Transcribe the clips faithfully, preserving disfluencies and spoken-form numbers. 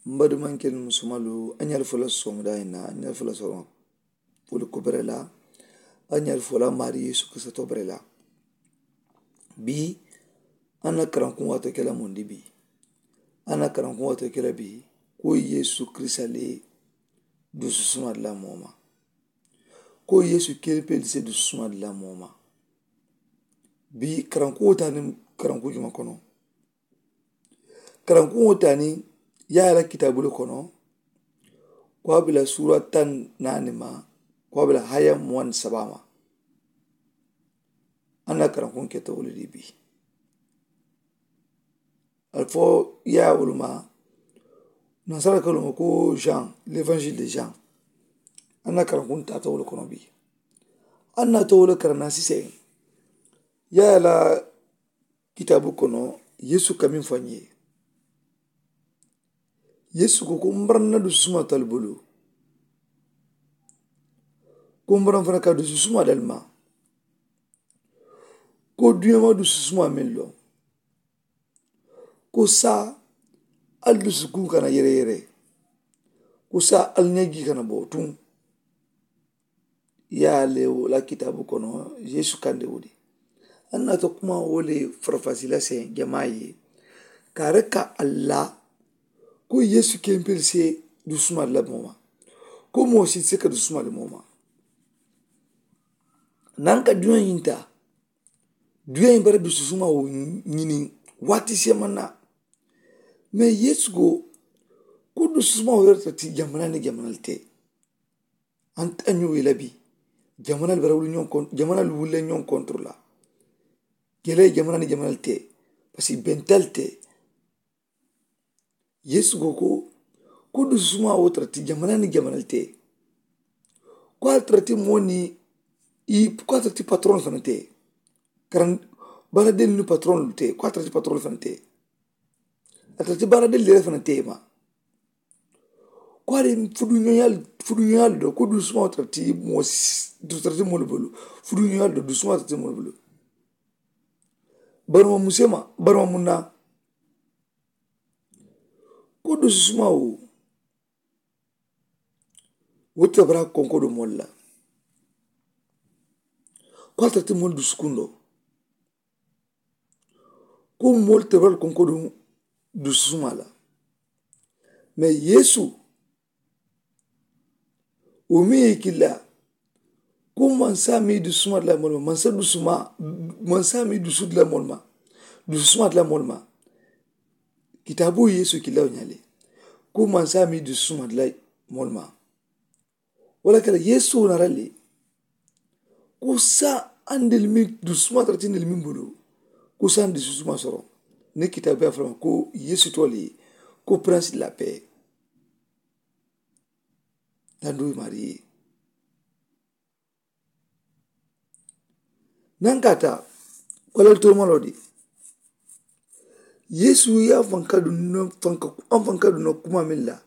M baadimankelu musumaalu, a ñaali fula soŋ daa in na a ñaali fula soŋ. Poli ko bere la a ñaali fula maari yeesu kisa to bere la. Bii a na karankuŋ waatoo kela mundi bii a na karankuŋ waatoo kela bii. Ko yeesu kisa le dusu suma di la mooma. Ko yeesu keli peli se dusu suma di la mooma. Bii karankuŋo taa ni karankuŋ juma kono. Karankuŋo taa ni yaaya la kitaabu le kono. Ko a bila suura taŋ naani ma ko a bila haya muwaŋ sabaa ma. A na karankuŋ keta wo le di bii. Ali fo yaaya wolu ma. Nasara ka luma ko jean l'évangile de jean. A na karankuŋ taata wo le kono bii. A na to wo le karanna sise yaaya la kitaabu kono. Yeesu ka meŋ fo a ñe yeesu ko ko m baraŋ na dusu suma tali bulu. Ko m baraŋ fana ka dusu suma dali ma. Ko duñama dusu suma meŋ loŋ. Ko saa ali dusu kuŋ kana yere yere. Ko saa ali ñaji kana bo tuŋ. Yaale wo la kitaabu kono yeesu kande wo di. An na to kuma wo le farafasi la se jamaa ye. Ka reka alla ko yeesu kempel se dusuma la moma. Ko moo si se ka dusuma le moma. Nan ka duña yinta duña yimbara dususuma wo ñini. Wati se manna. Me yeesu go ko dususuma wo yorta ti jamana ni jamana te. An ta ñuwe labi. Jamanal bara wuli ñon kon jamanal wulle ñon kontro la. Gele jamanal ni jamanal te. Parce que bental te. Yesu ko ko ko dususuma wo tara ti jamanal ni jamanal te. Ko a tara ti mo ni i ko a tara ti patron fana te. Karan bara del ni patron te ko a tara ti patron fana te. A tara ti bara del le fana te ma. Ko a de fuduñoñal fuduñoñal do ko dusuma tara ti mo tara ti mo bulu. Fuduñoñal do dusuma tara ti mo bulu. Baruma musema baruma munna. Ko dususuma wo wo tara bara konko do molla. Ko a tara ti mo dusukundo. Ko moolu te bari konkoduŋ dususuma la. Mais yeesu wo meŋ ye kila ko mansa meŋ dususuma dila moolu ma mansa dusuma mansa meŋ dusu dila moolu ma dususuma dila moolu ma. Kitaabu yeesu kila wo ñaale ko mansa meŋ dususuma dila moolu ma. Wala kala yesu nara le ko sa andel mi dusuma tara tindel mi bulu. Ko sa andi susuma soro ni kitabe aframa ko yesu toli ko prince de la paix. Dandu mari nan kata wala to malodi. Yesu ya fanka dunno fanka an fanka dunno kuma min la.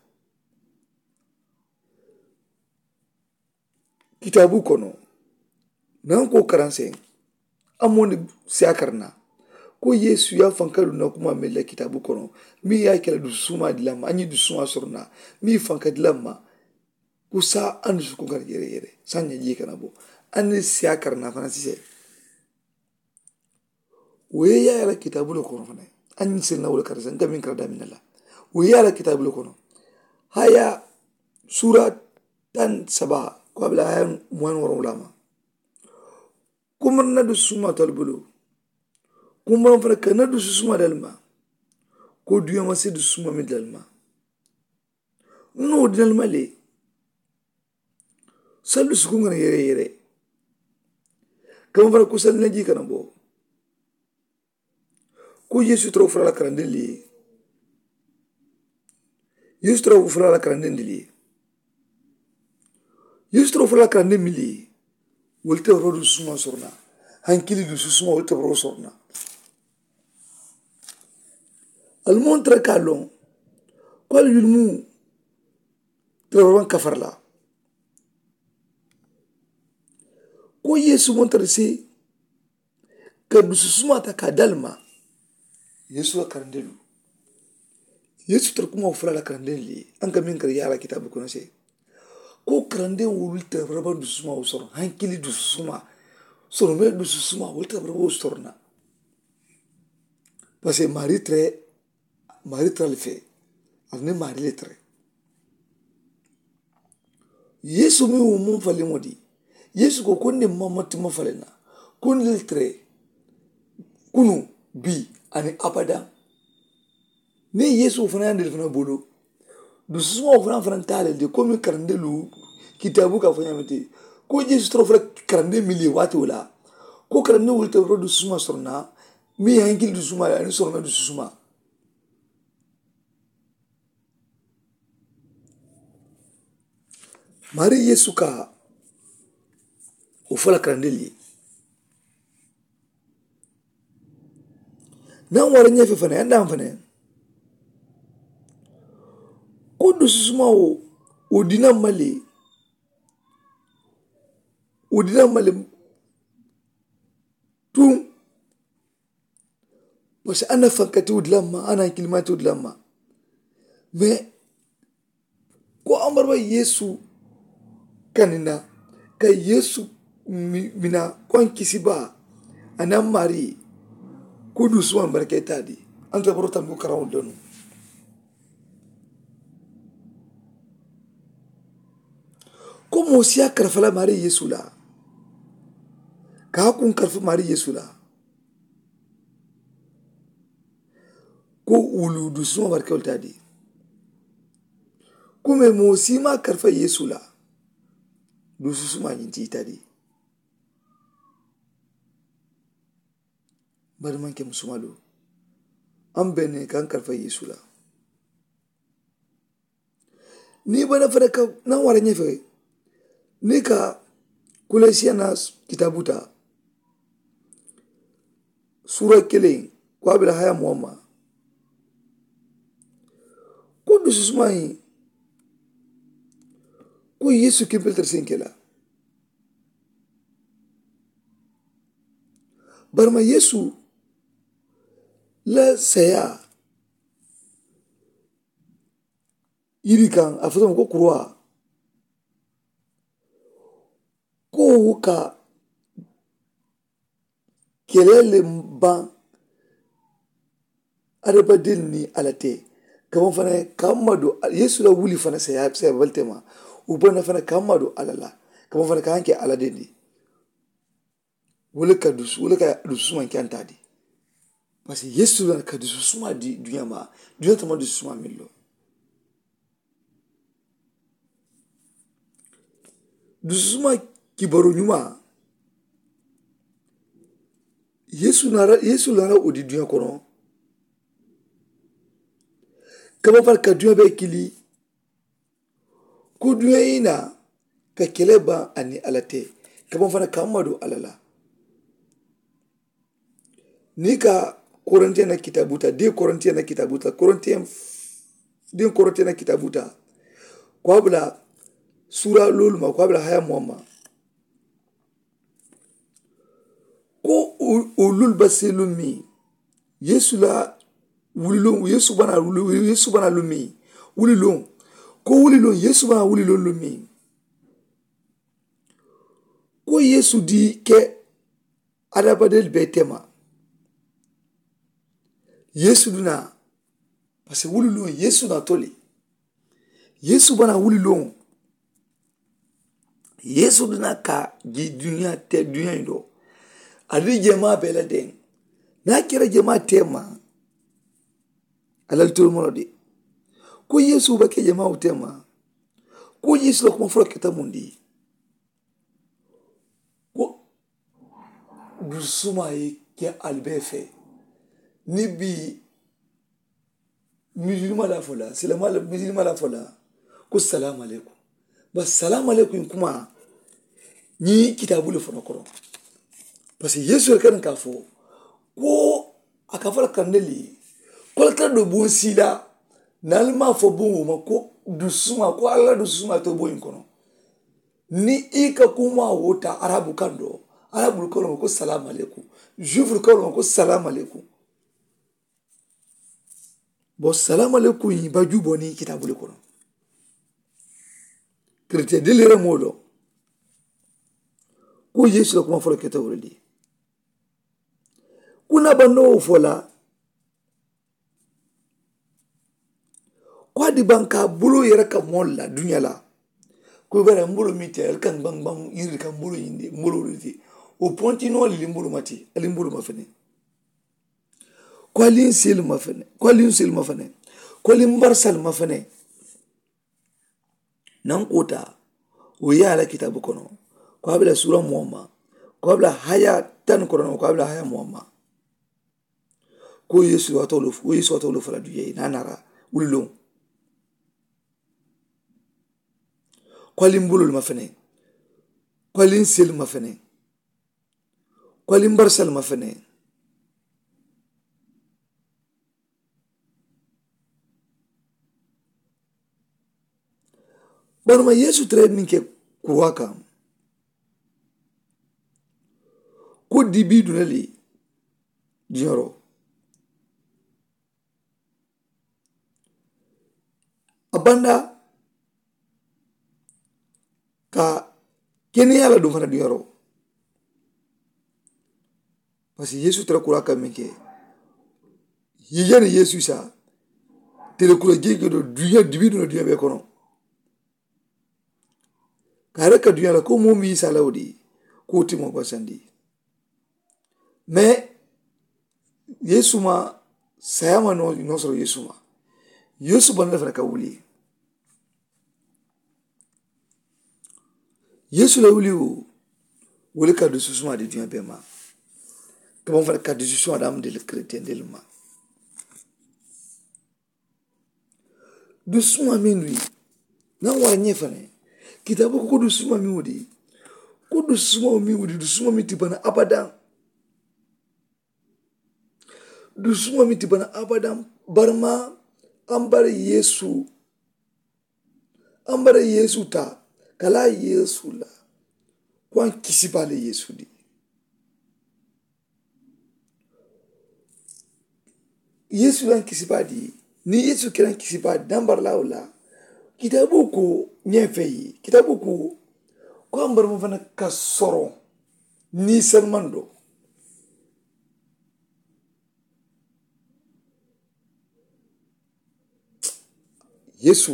Kitaabu kono nan ko karanseŋ a mondi siya karana. Ko yesu ya fanka dunna kuma mella kitaabu kono mi ya kela dusu suma dilamma a ñi dusu suma sorona mi fanka dilamma. Ku sa andu su kunkar yere yere sanya ji kana bo. Anni siya karana fana sise. Wo ye yaayala kitaabu le kono fana. Añiŋ sirina wo le kata sa nka meŋ kata daminna la. Wo ye yaayala kitaabu le kono haya suura taŋ saba ko a bila haya muwaani woroŋ wulama. Kumar na du suma tali bulu. Kumar fana ka na du suma dalima. Ko duyama se du suma mi dalima. Noo dinalima le. Sallu sukuŋ kana yere yere. Kama fana ku sallu na ji kana bo. Ku yesu toro fula la karandin li. Yesu toro fula la karandin li. Yesu toro fula la karandin mi li. Wolu te woro du suma sorona. Hankili du suma wolu te woro sorona. Almon tara ka loŋ ko ali yulmu tara waŋ kafar la. Ko yesu mon tara si ka dusu suma ta ka dalma. Yesu la karandelu Yeesu tara kumaŋo fo la a la karandiŋolu ye, aŋ ka meŋ kara yaara kitaabu kono se, ko karandiŋolu tara baraba dususumaa wo soroŋ, hankili dususumaa soroŋ, meŋ la dususumaa wolu tara baraba wo soroŋ na. Parisiko maarii tara maarii tara le fee, ali niŋ maarii le tara. Yeesu meŋ wo maŋ faliŋo di, yeesu ko ko n ne maŋ ma tuma faliŋ na, ko n le tere, kunu, bii, aniŋ abadaŋ. Niŋ yeesu wo fanaŋ ye a ndelu fanaŋ bolo, dususumaŋo fanaŋ fanaŋ taa le de komi karandiŋolu kitaabu ka a fo ñaama ti, ko yeesu tara fo la karandee meŋ ye waati wo la, ko karandiŋolu tara fo la dususumaa soroŋ na, meŋ ye hankili dususumaa ye aniŋ soroŋ na dususumaa. Maarii yeesu ka wo fo la karandiŋolu ye. Niŋ a wara ñee fee fanaŋ ye a daaŋ fanaŋ, ko dususumaa wo wo dina ma le wo dina ma le tuŋ. Parisiko a nafaŋ ka tewo dila ma a naŋ kilimaa tewo dila ma. Mais ko a maraba yeesu kanina ka yeesu mina ko a n kisibaa a naŋ maarii ye, ko duusumaŋ baraka ite a di. A nta boro tambi ko karaŋo donu. Ko moo si a karafa la maarii yeesu la, ka a kuŋ karafa maarii yeesu la, ko wulu duusumaŋ baraka ite a di. Ko mee moo si maŋ a karafa yeesu la, duususumaa ñiŋ ti ite a di. Bari maŋ ke musumalu, a mu bee ne ka a karafa yeesu la. Niŋ i bana fanaŋ ka naŋ wara ñee fee, niŋ i ka koloosiyaana kitaabu taa, suura kiliŋ, ko a be la haya muwaŋ ma. Ko dususumaa ñiŋ, ko yeesu kempe le tara seŋ ke la. Bari ma yeesu la seyaa yiri kaŋ a fo tuma ko kuruwaa, ko wo ka keleele baŋ. Adamadin ni ala te kaman fana kamma do yesu la wuli fana saya saya balte ma. Ubana fana kamma do ala la kaman fana kanke ala dendi. Wala ka dusu wala ka dusu suma kyanta di. Parce que yesu la ka dusu suma di dunya ma dunya tama dusu suma millo. Dususuma kibaro ñuma yesu nara yesu nara o di duña kono. Kama fana ka duña be kili ko duña ina ka kele ba ani ala te kama fana ka madu ala la. Ni ka korintiyen na kitabu ta de korintiyen na kitabu ta korintiyen de korintiyen na kitabu ta ko abula sura lolu ma ko abula haya muwamma. Ko o lolu ba se lumi yesu la wuli lon yesu bana wuli yesu bana lumi wuli lon ko wuli lon yesu bana wuli lon lumi. Ko yesu di ke adabadeli be tema yesu duna. Parce que wuli lon yesu na toli yesu bana wuli lon. Yesu duna ka ji duniya te duniya in do. Adi jema bela den na kira jema tema. Alal tolmono de ko yesu ba ke jema tema. Ko yesu la kuma fura kita mundi ko dusuma ye ke albe fe. Ni bi misilima la fo la silama la misilima la fo la ko salamu aleykum. Ba salamu aleykum kuma ñi kitabu le fono koro. Parce que yesu le kan ka fo ko a ka fo la kande li ko la kala do bon sila. Nalima fo bon wo ma ko dusuma ko alla dusuma to bon kono. Ni i ka kuma wo ta arabu kando arabu kolo ko salamu aleykum. Jufu kolo ko salamu aleykum. Bo salaamu aleykum i ba juuboo niŋ kitaabu le kono. Keretiyendelu ye moo loŋ ko yeesu la kuma foloo keta wo le di. Kunnaa bandoo wo fo la ko a di baŋ ka a buloo yere ka moolu la duniyaa la. Ko i bari a ye n buloo miŋ ti a ye ali ka n baŋ baŋ yiri ka n buloo ñiŋ de n buloo le ti. Wo pontinoo ali n buloo ma ti ali n buloo ma fene. Ko ali n seelu ma fene ko ali n seelu ma fene. Ko ali n barisaalu ma fene. Naŋ kota wo ye a la kitaabu kono ko a be la suura moo ma ko a be la haya taŋ kono ko a be la haya moo ma. Ko yeesu waatoo lo wo yeesu waatoo lo fo la duŋ ye naa naara wuli loŋ. Ko ali n bulolu ma fene. Ko ali n seelu ma fene. Ko ali n barisaalu ma fene. Bari ma yeesu tara ye meŋ ke kuwaa kaŋ ko dibii duna le duñaroo a banda ka keneyaa la duŋ fana duñaroo. Parisiko yeesu tara kuraa kaŋ meŋ ke i ye jani yeesu saa tele kura jeekee do duña dibi duŋ na duña bee kono. Ka a reka duña la ko moo meŋ ye saa la wo di ko wo ti moo basandi. Mais yeesu ma saayaa ma noo soro yeesu ma. Yeesu bana le fana ka wuli. Yeesu la wuli wo wo le ka dususumaa di duña bee ma. Kama fana ka dususumaa daŋ di le keretiyendelu ma. Dususumaa meŋ di naŋ wara ñee fana kitaabu ko ko dususumaa meŋ wo di. Ko dususumaa meŋ wo di dususumaa meŋ ti bana abadaŋ. Dususumaa meŋ ti bana abadaŋ. Bari ma ambara yeesu ambara yeesu taa ka laa yeesu la. Ko a n kisi baa le yeesu di. Yeesu la n kisi baa di. Niŋ yeesu kela n kisi baa di daŋ bari laa wo la. Kitaaboo ko ñee fee ye kitaaboo ko ko ambara ma fanaŋ ka soroŋ. Niŋ i salimando yeesu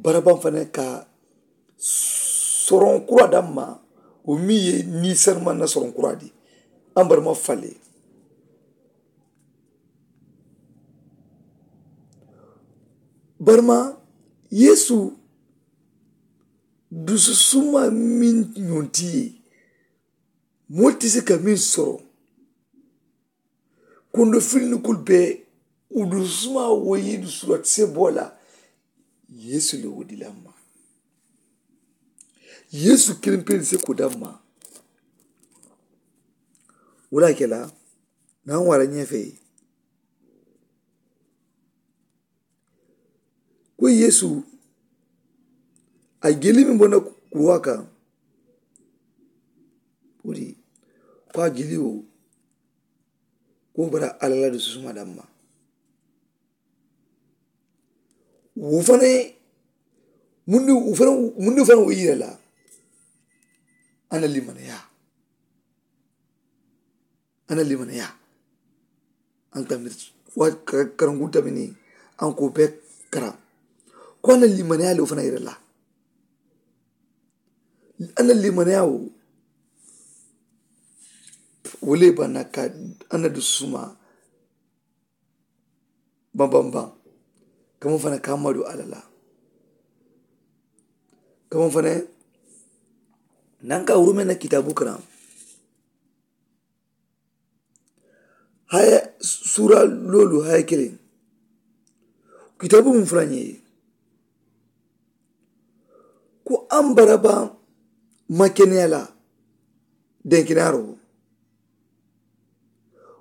barabaŋ fanaŋ ka soroŋ kuraa daŋ ma. Wo meŋ ye niisanmaŋ na soroŋ kuraa di ambaramaa fale. Baramaa yeesu dususumaa meŋ ñoŋ ti ye moolu ti si ka meŋ soroŋ. Kondo filinikulu be wo dususumaa wo ye dusu la ti se bo la. Yeesu le wo di la ma. Yeesu kiliŋ pele se ko da ma. Wo la ke la naŋ wara ñefe ko yeesu a jeli meŋ bona kuruwa kaŋ. Wo di ko a jeli wo ko bara alla la dususuma damma. Wo fanaŋ mundi wo fanaŋ mundi wo fanaŋ wo yira la. Ana limanaya ana limanaya. An ka miri wa karankun tamini an ko be kara ko ana limanaya le wo fanaŋ yira la. Ana limanaya wo wo le banna ka ana dusuma. Bambam baŋ kamaŋ fanaŋ ka madu alla la. Kamaŋ fanaŋ naŋ ka wurumee na kitaabu karaŋ haya suura loolu haya kiliŋ. Kitaabu mu fula ñee ye ko an baraba ma keneya la denkenaaroo.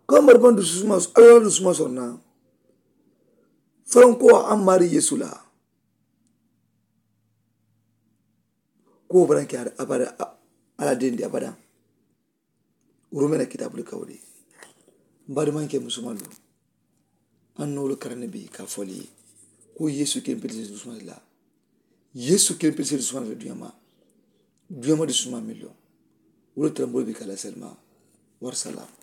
Ko an baraba dususuma alla la dususuma soroŋ na. Faraŋ ko an maari yeesu la ko wo baraŋ ke abada. Alla dendi abada. Wurumee na kitaabu le ka wo de. N baadimaŋ ke musumaŋ loŋ An na wo le karandi bi ka a fo ali ye ko yeesu kempelisee dusumaa le la. Yeesu kempelisee dusumaa le la duyamaa. Duyamaa dusumaa miliyoŋ wo le tara mboolu bi ka a la salimaa. Wari salaamu.